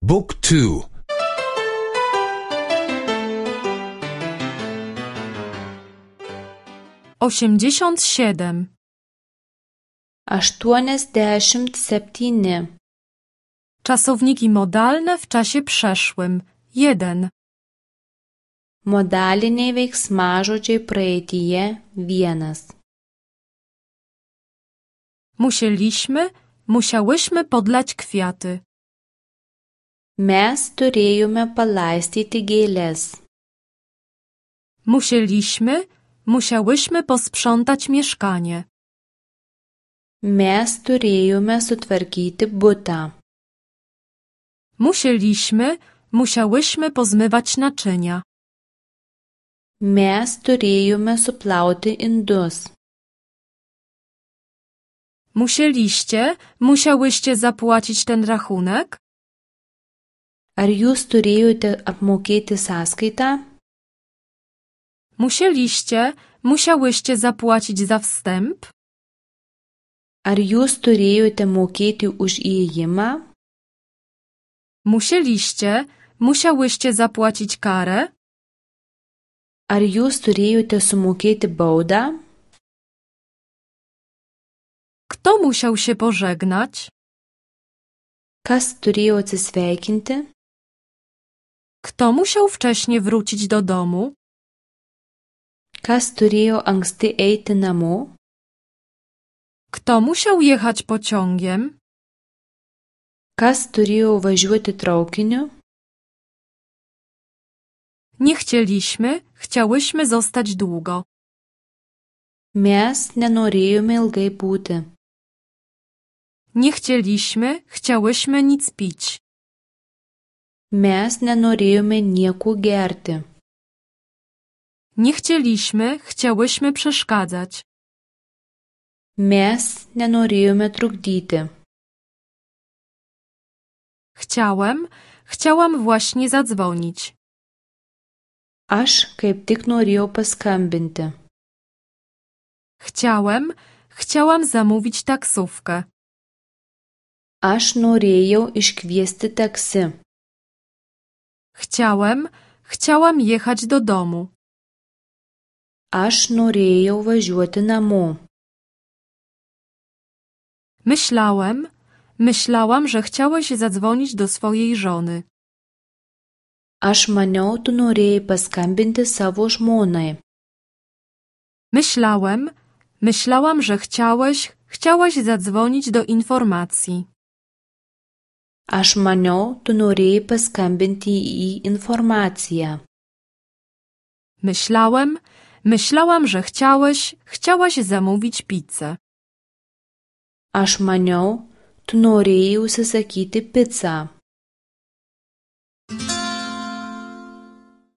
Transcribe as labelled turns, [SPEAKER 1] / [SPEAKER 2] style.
[SPEAKER 1] Book 2.
[SPEAKER 2] 87.
[SPEAKER 3] 87.
[SPEAKER 2] Czasowniki modalne w czasie przeszłym. 1.
[SPEAKER 3] Modaliniai veiksmažodžiai praeityje 1.
[SPEAKER 2] Musieliśmy, musiałyśmy podlać kwiaty.
[SPEAKER 3] Mes turėjome palaistyti gėles.
[SPEAKER 2] Musieliśmy, musiałyśmy posprzątać mieszkanie.
[SPEAKER 3] Mes turėjome sutvarkyti butą.
[SPEAKER 2] Musieliśmy, musiałyśmy pozmywać naczynia.
[SPEAKER 3] Mes turėjome suplauti indus.
[SPEAKER 2] Musieliście, musiałyście zapłacić ten rachunek?
[SPEAKER 3] Ar jūs turėjote apmokėti sąskaitą?
[SPEAKER 2] Musieliście, musiałyście zapłacić za wstęp?
[SPEAKER 3] Ar jūs turėjote mokėti už įėjimą?
[SPEAKER 2] Musieliście, musiałyście zapłacić karę?
[SPEAKER 3] Ar jūs turėjote sumokėti baudą?
[SPEAKER 2] Kto musiał się pożegnać?
[SPEAKER 3] Kas turėjo atsisveikinti?
[SPEAKER 2] Kto musiał wcześnie wrócić do domu?
[SPEAKER 3] Kas turėjo anksti eiti namo?
[SPEAKER 2] Kto musiał jechać pociągiem?
[SPEAKER 3] Kas turėjo važiuoti traukiniu?
[SPEAKER 2] Nie chcieliśmy, chciałyśmy zostać długo.
[SPEAKER 3] Mes nenorėjome ilgai būti.
[SPEAKER 2] Nie chcieliśmy, chciałyśmy nic pić.
[SPEAKER 3] Mes nenorėjome nieko gerti.
[SPEAKER 2] Nie chcieliśmy, chciałyśmy przeszkadzać.
[SPEAKER 3] Mes nenorėjome trukdyti.
[SPEAKER 2] Chciałam właśnie zadzwonić.
[SPEAKER 3] Aš kaip tik norėjau paskambinti.
[SPEAKER 2] Chciałam zamówić taksówkę.
[SPEAKER 3] Aš norėjau iškviesti taksi.
[SPEAKER 2] Chciałam jechać do domu.
[SPEAKER 3] Aš norėjau važiuoti namo.
[SPEAKER 2] Myślałam, że chciałeś zadzwonić do swojej żony.
[SPEAKER 3] Aš maniau, tu norėjai paskambinti savo žmonai.
[SPEAKER 2] Myślałam, że chciałaś zadzwonić do informacji.
[SPEAKER 3] Aš maniau, tu norėjai paskambinti į informaciją.
[SPEAKER 2] Myślałam, że chciałaś zamówić pizzę.
[SPEAKER 3] Aš maniau, tu norėjai užsisakyti pizzą.